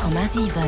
100,7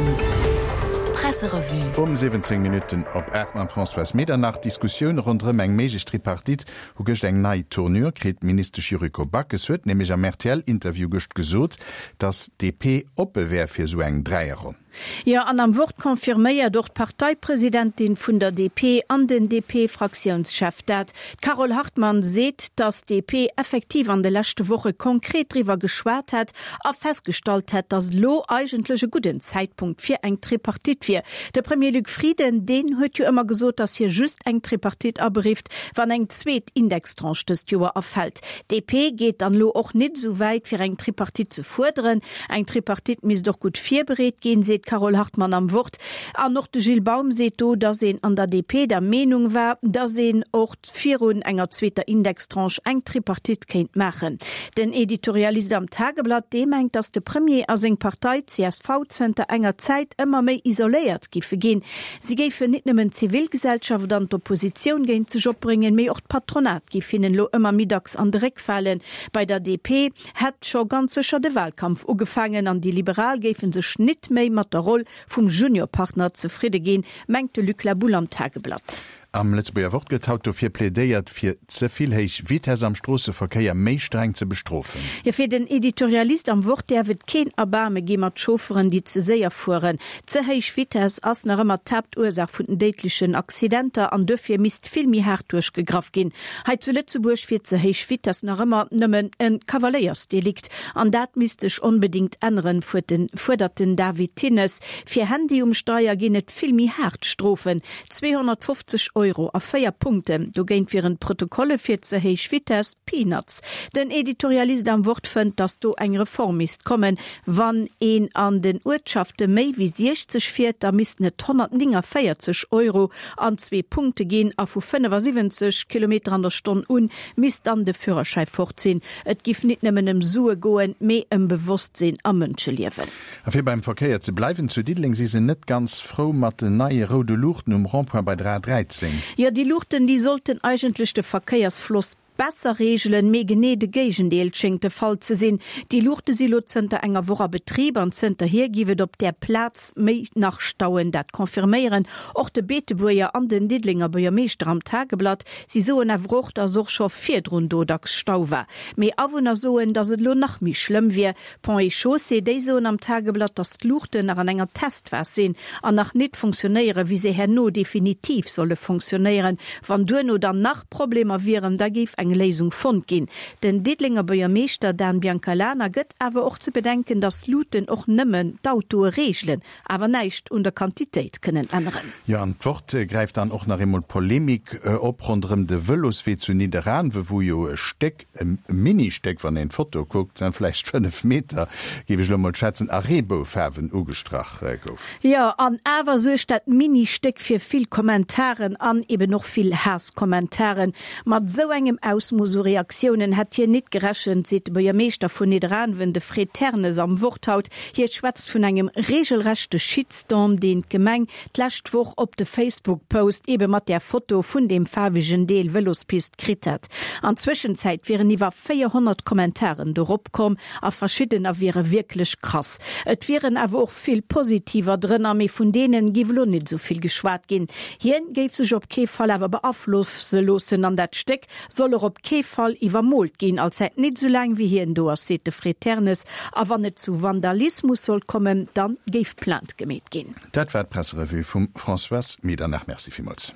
Presserevue. Um 17 Minutten op 8 mam Françoise Medernach. D'Diskussioune ronderëm eng méiglech Tripartite hu gëscht eng nei Tournure kritt. D'Ministesch Yuriko Backes huet nämlech am RTL-Interview gëscht gesot, datt d'DP oppe wär fir esou eng Dräierronn. Jo, an am Wort confirméiert och d'Parteipresidentin vun der DP an den DP-Fraktiounschef dat. D'Carole Hartmann seet, datt d'DP effektiv an de leschte Woche konkret driwwer geschwat hätt a festgestallt hätt, datt elo eigentlech e gudden Zäitpunkt fir eng Tripartite wier. De Premier Luc Frieden, deen huet jo ëmmer gesot, datt hie just eng Tripartite aberifft, wann eng zweet Indextranche dëst Joer erfält. D'DP geet dann elo och nit esou wäit, fir eng Tripartite ze fuerderen. Eng Tripartite misst och gutt virbereet ginn, seet d'Carole Hartmann am Wort. An och de Gilles Baum seet do, datt een an der DP der Meenung war, datt een och virun enger zweeter Indextranche eng Tripartite kéint maachen. Den Editorialist am Tageblatt, dee mengt, datt de Premier a seng Partei csv zënter enger Zäit ëmmer méi isoléiert giffe ginn. Si géifen nit nëmmen d'Zivilgesellschaft an d'Oppositioun géint sech opbréngen, mee och d'Patronat giff hinnen elo ëmmer méi dacks an de Réck falen. Bei der DP hätt scho ganz sécher de Wahlkampf ugefaangen an déi Liberal géife sech nit méi mat der Roll vum Juniorpartner zefridde ginn, mengt de Luc Laboule am Tageblatt. Am Lëtzebuerger Wort gëtt haut dofir plädéiert, fir ze vill héich Vitess am Stroosseverkéier méi streng ze bestrofen. Jo, fir den Editorialist am Wort däerf et keen Erbaarme gi mat Chaufferen, déi ze séier fueren. Ze héich Vitess ass nach ëmmer d'Haaptursaach vun den déidlechen Accidenter an duerfir misst vill méi haart duerchgegraff ginn. Hei zu Lëtzebuerg wier ze héich Vitess nach ëmmer nëmmen e Kavaléiersdelikt an dat misst sech onbedéngt änneren, fuerdert den David Thinnes. Fir Handy um Steier ginn et vill méi haart Strofen, 250 Euro a 4 Punkten. Dogéint wieren d'Protokolle fir ze héich Vitess Peanuts. Den Editorialist am Wort fënnt, datt do eng Reform misst kommen. Wann een an den Uertschafte méi wéi 60 fiert, da missten et 149 Euro an zwee Punkte ginn a vu 75 Kilometer an der Stonn un misst dann de Führerschäi fort sinn. Et giff nit nëmmen ëm Sue goen, mee ëm Bewosstsinn a Mënscheliewen. A fir beim Verkéier ze bleiwen, zu Diddeleng si se net ganz frou mat den neie roude Luuchten um Rond-point bei der A 13. Jo, déi Luuchten, déi sollten eigentlech de Verkéiersfloss Besser reegelen, mee genee de Géigendeel schéngt de Fall ze sinn. Déi Luuchte si lo zënter enger Woch a Betrib an zënterhier giff et op där Plaz méi nach stauen. Dat confirméieren och de Beetebuerger an den Diddelenger Buergermeeschter am Tageblatt. Si soen awer och, datt och scho virdrun do dacks Stau war. Mee Awunner soen, datt et elo nach méi schlëmm wier. Ponts et Chaussées, déi soen am Tageblatt, datt d'Luuchten nach an enger Testphas sinn an nach nit funktionéieren, wéi se herno definitiv solle funktionéieren. Wann duerno dann nach Problemer wieren, da géif eng Léisung fonnt ginn. Den Diddelenger Buergermeeschter Dan Biancalana gëtt awer och ze bedenken, datt Luuten och nëmmen d'Autoe reegelen, awer näischt un der Quantitéit kënnen änneren. Jo, an d'Wort gräift dann och nach eemol d'Polemik op ronderëm de Vëloswee zu Nidderaanwe, wou jo e Stéck, e Mini-Stéck, wann een d'Foto kuckt, vläicht 5 Meter, géif ech elo mol schätzen, a Reeboufaarwen ugestrach gouf. Jo, an awer suergt dat Mini-Stéck fir vill Kommentaren an eben och vill Haasskommentaren. Mat esou engem Ausmooss u Reaktiounen hätt hien nit gerechent, seet de Buergermeeschter vun Nidderaanwen, de Fred Ternes am Wort haut. Hie schwätzt vun engem reegelrechte Shitstorm, deen d'Gemeng d'lescht Woch op de Facebook-Post ebe mat där Foto vun deem faarwegen Deel Vëlospist kritt hätt. An Zwëschenzäit wieren iwwer 400 Kommentaren dorop komm a verschiddener wiere wierklech krass. Et wieren awer och vill positiver drënner, mee vun deenen giff elo net esou vill geschwat ginn. Hien géif sech op kee Fall awer beaflosse loossen an dat Stéck soll och op kee Fall iwwermoolt ginn, als hätt nit esou laang wéi hien do ass, seet de Fred Ternes. A wann et zu Vandalismus sollt kommen, dann géif Plainte gemeet ginn. Dat war d'Presserevue vum Françoise Medernach. Merci villmools.